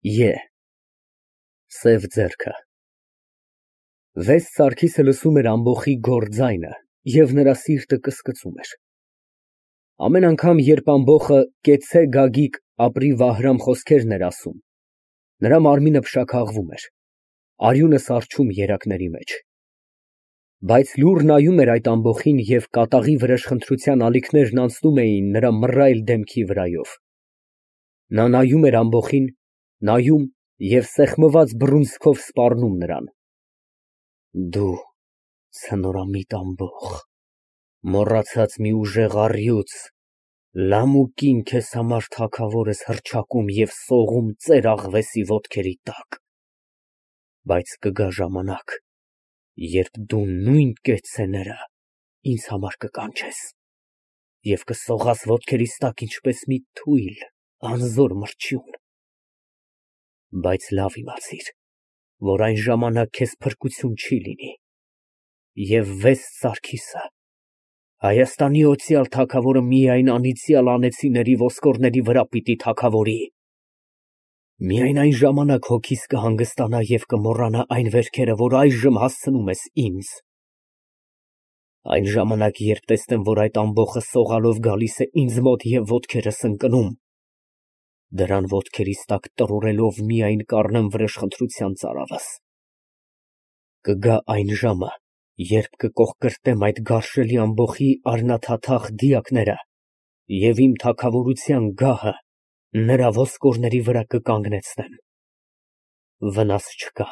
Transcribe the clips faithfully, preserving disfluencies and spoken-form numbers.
Է սև ձեռքը Վեստ Սարգիսը լսում էր ամբոխի գոռ ձայնը և նրա սիրտը կսկծում էր։ Ամեն անգամ, երբ ամբոխը «կեցցե, Գագիկ, ապրի Վահրամ» խոսքերն էր ասում, նրա մարմինը փշաքաղվում էր, արյունը սառչում երակների մեջ։ Բայց լուռ նայում էր այդ ամբոխին և կատաղի վրեժխնդրության ալիքներն անցնում էին նրա մռայլ դեմքի վրայով։ Նա նայում էր ամբոխին, նայում և սեղմված բռունցքով սպառնում նրան։ Դու ցնորամիտ ամբոխ, մոռացած մի ուժեղ առյուծ, լամուկին քեզ համար թագավոր ես հռչակում և սողում ծեր աղվեսի ոտքերի տակ, բայց կգա ժամանակ, երբ դու նույն կեցցեները ինձ համար կկանչես և կսողաս ոտքերիս տակ ինչպես մի թույլ, անզոր մրջյուն, բայց լավ իմացիր, որ այն ժամանակ քեզ փրկություն չի լինի, և Վեստ Սարգիսը, Հայաստանի օծյալ թագավորը միայն անիծյալ անեծիների ոսկորների վրա պիտի թագավորի։ Միայն այն ժամանակ հոգիս կհանգստանա և կմոռանա այն վերքերը, որ այժմ հասցնում ես ինձ։ Այն ժամանակ, երբ տեսնեմ, որ այդ ամբոխը սողալով գալիս է ինձ մոտ և ոտքերս ընկնում, դրան ոտքերիս տակ տրորելով միայն կառնեմ վրեժխնդրության ծարավս։ Կգա այն ժամը, երբ կկոխկրտեմ այդ գարշելի ամբոխի առնաթաթախ դիակները և իմ թագավորության գահը նրա ոսկորների վրա կկանգնեցնեմ։ Վնաս չկա,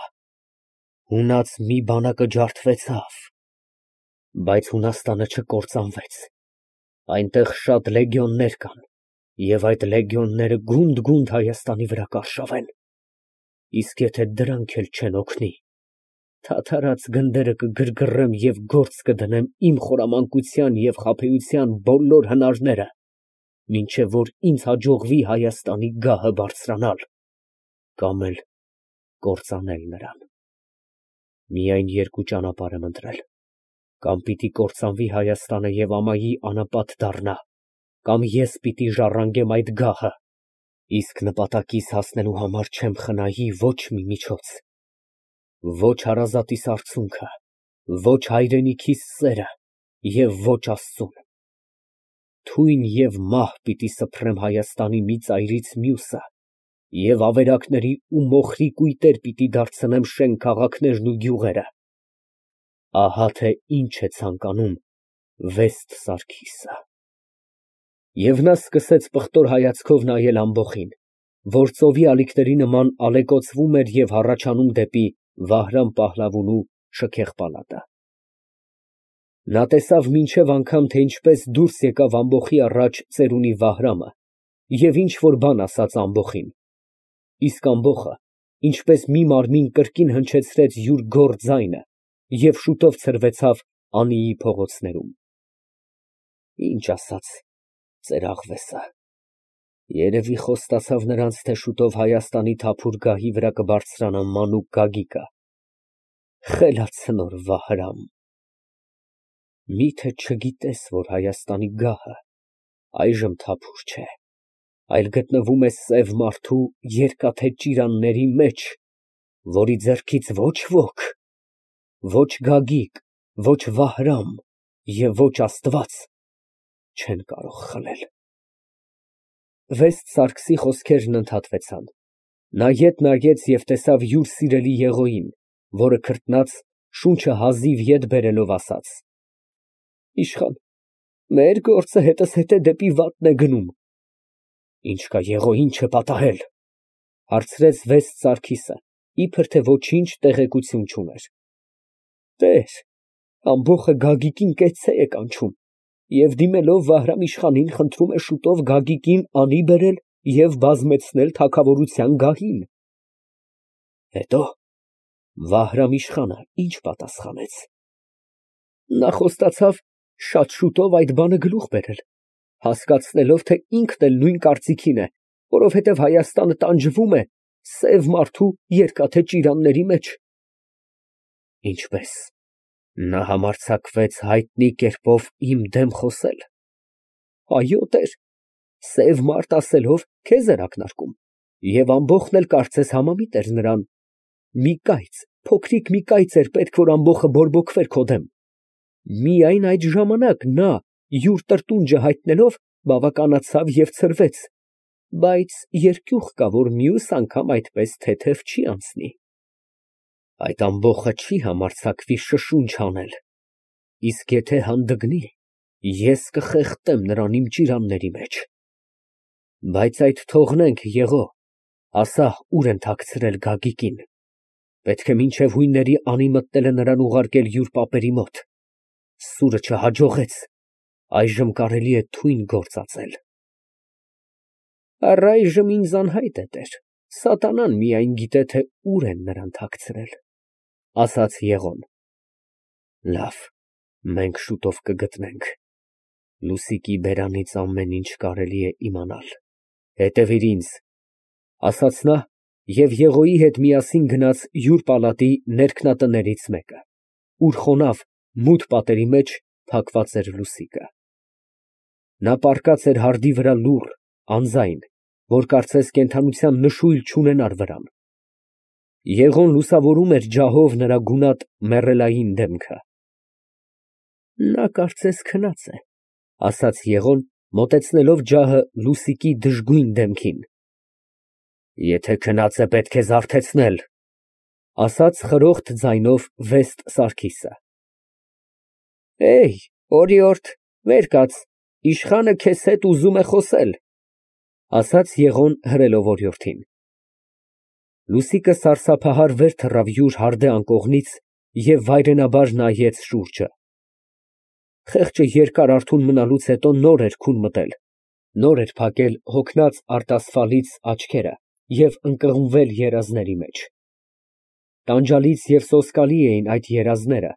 հունած մի բանակը ջարդվեցավ, բայց Հունաստանը չկործանվեց, այնտեղ շատ լեգիոններ կան, և այդ լեգիոնները գունդ֊գունդ Հայաստանի վրա կարշավեն, իսկ եթե դրանք էլ չեն օգնի, թաթարած գնդերը կգրգռեմ և գործ կդնեմ իմ խորամանկության և խաբեության բոլոր հնարները, մինչև որ ինձ հաջողվի Հայաստանի գահը բարձրանալ կամ էլ կործանել նրան։ Միայն երկու ճանապարհ եմ ընտրել. կամ պիտի կործանվի Հայաստանը և ամայի անապատ դառնա, կամ ես պիտի ժառանգեմ այդ գահը, իսկ նպատակիս հասնելու համար չեմ խնայի ոչ մի միջոց, ոչ հարազատիս արցունքը, ոչ հայրենիքիս սերը և ոչ Աստծուն։ Թույն և մահ պիտի սփռեմ Հայաստանի մի ծայրից մյուսը և ավերակների ու մոխրի կույտեր պիտի դարձնեմ շեն քաղաքներն ու գյուղերը։ Ահա թե ինչ է ցանկանում Վեստ Սարգիսը։ Եվ նա սկսեց պղտոր հայացքով նայել ամբոխին, որ ծովի ալիքների նման ալեկոծվում էր և հառաչանում դեպի Վահրամ Պահլավունու շքեղ պալատը։ Նա տեսավ մինչև անգամ, թե ինչպես դուրս եկավ ամբոխի առաջ ծերունի Վահրամը և ինչ֊որ բան ասաց ամբոխին, իսկ ամբոխը ինչպես մի մարմին կրկին հնչեցրեց յուր գոռ ձայնը և շուտով ցրվեցավ Անիի փողոցներում։ Ինչ ասաց ծեր֊աղվեսը, երևի խոստացավ նրանց, թե շուտով Հայաստանի թափուր գահի վրա կբարձրանա մանուկ Գագիկը։ Խելացնոր Վահրամ, միթե չգիտես, որ Հայաստանի գահը այժմ թափուր չէ, այլ գտնվում է սև մարդու երկաթե ճիրանների մեջ, որի ձեռքից ոչ ոք, ոչ Գագիկ, ոչ Վահրամ և ոչ Աստված չեն կարող խլել։ Վեստ Սարգսի խոսքերն ընդհատվեցան։ Նա ետ նայեց և տեսավ յուր սիրելի Եղոյին, որը քրտնած, շունչը հազիվ ետ բերելով, ասաց. Իշխան, մեր գործը հետզհետե դեպի վատն է գնում։ Ինչ կա Եղոյին չպատահել, հարցրեց Վեստ Սարգիսը, իբր թե ոչինչ տեղեկություն չուներ։ Տեր, ամբոխը Գագիկին կեցցե է կանչում և դիմելով Վահրամ իշխանին խնդրում է շուտով Գագիկին անի բերել և բազմեցնել թագավորության գահին։ Հետո՞։ Վահրամ իշխանը ինչ պատասխանեց։ Նա խոստացավ շատ շուտով այդ բանը գլուխ բերել, հասկացնելով, թե ինքն էլ նույն կարծիքին է, որովհետև Հայաստանը տանջվում է սև մարդու երկաթե ճիրանների մեջ։ Ինչպե՞ս, նա համարձակվեց հայտնի կերպով իմ դեմ խոսել։ Այո, տեր, սև մարդ ասելով քեզ էր ակնարկում Եվ ամբոխն էլ կարծես համամիտ էր նրան. մի կայծ, փոքրիկ մի կայծ էր պետք, որ ամբոխը բորբոքվեր քո դեմ. միայն այդ ժամանակ նա, յուր տրտունջը հայտնելով, բավականացավ և ցրվեց, բայց երկյուղ կա, որ մյուս անգամ այդպես թեթև չի անցնի։ Այդ ամբոխը չի համարձակվի շշունչ անել, իսկ եթե հանդգնի, ես կխեղդեմ նրան իմ ճիրանների մեջ։ Բայց այդ թողնենք, Եղո, ասա, ուր են թաքցրել Գագիկին, պետք է մինչև հույնների անի մտնելը նրան ուղարկել յուր պապերի մոտ, սուրը չհաջողեց, այժմ կարելի է թույն գործածել։ Առայժմ ինձ անհայտ է, տեր, սատանան միայն գիտե, թե ուր են նրան թաքցրել, ասաց Եղոն։ Լավ, մենք շուտով կգտնենք, Լուսիկի բերանից ամեն ինչ կարելի է իմանալ, հետևիր ինձ, ասաց նա և Եղոյի հետ միասին գնաց յուր պալատի ներքնատներից մեկը, ուր խոնավ, մութ պատերի մեջ փակված էր Լուսիկը։ Նա պառկած էր հարդի վրա լուռ, անձայն, որ կարծես կենդանության նշույլ չունենար վրան։ Եղոն լուսավորում էր ջահով նրա գունատ մեռելային դեմքը։ Նա կարծես քնած է, ասաց Եղոն, մոտեցնելով ջահը Լուսիկի դժգույն դեմքին։ Եթե քնած է, պետք է զարթեցնել, ասաց խրոխտ ձայնով վեստ Սարգիսը։ Էյ, օրիորդ, վեր կաց, իշխանը քեզ հետ ուզում է խոսել, ասաց Եղոն հրելով օրիորդին։ Լուսիկը սարսափահար վեր թռավ յուր հարդե անկողնից և վայրենաբար նայեց շուրջը։ Խեղճը երկար արթուն մնալուց հետո նոր էր քուն մտել, նոր էր փակել հոգնած արտասվալից աչքերը և ընկղմվել երազների մեջ։ Տանջալից և սոսկալի էին այդ երազները,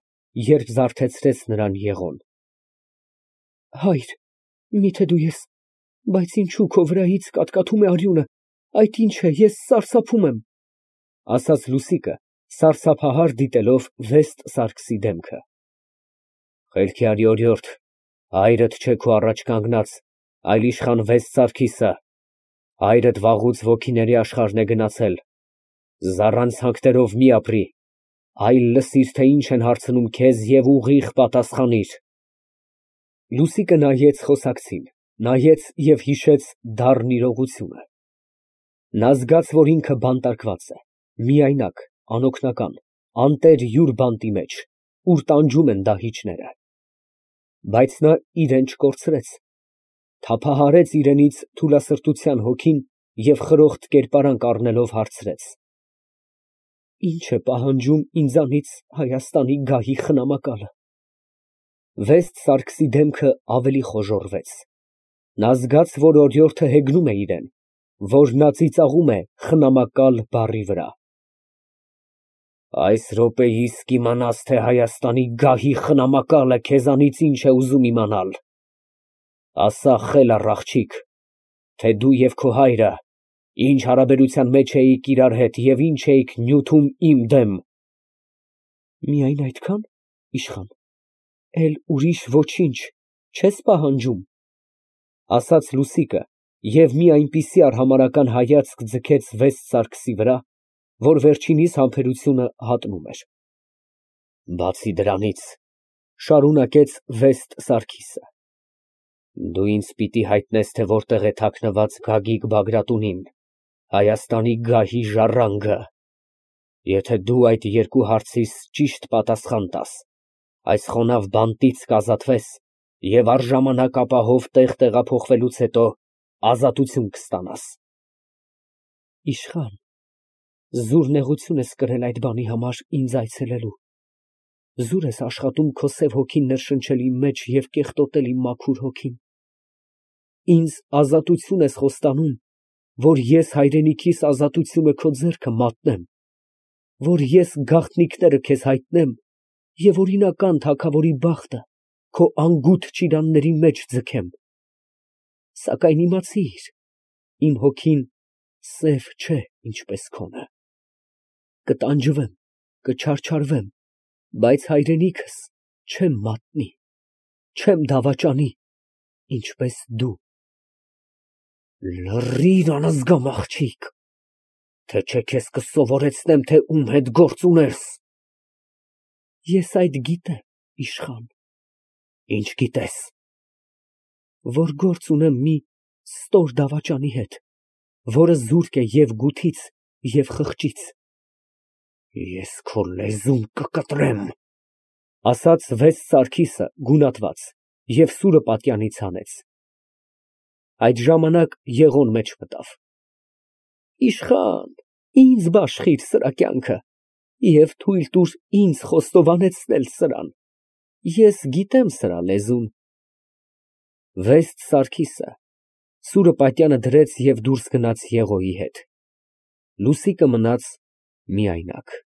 երբ զարթեցրեց նրան Եղոն։ Հայր, միթե դու ես, բայց ինչու քո վրայից կատկատում է արյունը, այդ ինչ է, ես սարսափում եմ, ասաց Լուսիկը, սարսափահար դիտելով վեստ Սարգսի դեմքը։ Խելքի արի, օրիորդ, հայրդ չէ քո առաջ կանգնած, այլ իշխան վեստ Սարգիսը, հայրդ վաղուց ոգիների աշխարհն է գնացել, զառանցանքներով մի ապրի, այլ լսիր, թե ինչ են հարցնում քեզ և ուղիղ պատասխանիր։ Լուսիկը նայեց խոսակցին, նայեց և հիշեց դառն իրողությունը։ Նա զգաց, որ ինքը բանտարկված է, միայնակ, անօգնական, անտեր յուր բանտի մեջ, ուր տանջում են դահիճները։ Բայց նա իրեն չկորցրեց, թափահարեց իրենից թուլասրտության հոգին և խրոխտ կերպարանք առնելով հարցրեց. Ի՞նչ է պահանջում ինձանից Հայաստանի գահի խնամակալը։ Վեստ Սարգսի դեմքը ավելի խոժոռվեց։ Նա զգաց, որ օրիորդը հեգնում է իրեն, որ նա ծիծաղում է խնամակալ բառի վրա։ Այս րոպեիս կիմանաս, թե Հայաստանի գահի խնամակալը քեզանից ինչ է ուզում իմանալ։ Ասա, խելառ աղջիկ, թե դու և քո հայրը ինչ հարաբերության մեջ էիք իրար հետ և ինչ էիք նյութում իմ դեմ։ Միայն այդքա՞ն, իշխան, էլ ուրիշ ոչինչ չես պահանջում, ասաց Լուսիկը և մի այնպիսի արհամարհական հայացք ձգեց վեստ Սարգսի վրա, որ վերջինիս համբերությունը հատնում էր։ Բացի դրանից, շարունակեց վեստ Սարգիսը, դու ինձ պիտի հայտնես, թե որտեղ է թաքնված Գագիկ Բագրատունին, Հայաստանի գահի ժառանգը։ Եթե դու այդ երկու հարցիս ճիշտ պատասխան տաս, այս խոնավ բանտից կազատվես և առժամանակ ապահով տեղ տեղափոխվելուց հետո ազատություն կստանաս։ Իշխան, զուր նեղություն ես կրել այդ բանի համար ինձ այցելելու, զուր ես աշխատում քո սև հոգին ներշնչել իմ մեջ և կեղտոտել իմ մաքուր հոգին։ Ինձ ազատություն ես խոստանում, որ ես հայրենիքիս ազատությունը քո ձեռքը մատնեմ, որ ես գաղտնիքները քեզ հայտնեմ և օրինական թագավորի բախտը քո անգութ ճիրանների մեջ ձգեմ։ Սակայն իմացիր, իմ հոգին սև չէ, ինչպես քոնը։ Կտանջվեմ, կչարչարվեմ, բայց հայրենիքս չեմ մատնի, չեմ դավաճանի, ինչպես դու։ Լռիր, անզգամ աղջիկ, Թե չէ քեզ կսովորեցնեմ, թե ում հետ գործ ունես։ Ես այդ գիտեմ, իշխան։ Ինչ գիտես։ Որ գործ ունեմ մի ստոր դավաճանի հետ, որը զուրկ է և գութից, և խղճից։ Ես քո լեզուն կկտրեմ, ասաց վեց Սարգիսը գունատված և սուրը պատյանից հանեց։ Այդ ժամանակ Եղոն մեջ մտավ։ Իշխան, ինձ բաշխիր սրա կյանքը և թույլ տուր ինձ խոստովանեցնել սրան, ես գիտեմ սրա լեզուն։ Վեստ Սարգիսը սուրը պատյանը դրեց և դուրս գնաց Եղոյի հետ։ Լուսիկը մնաց միայնակ։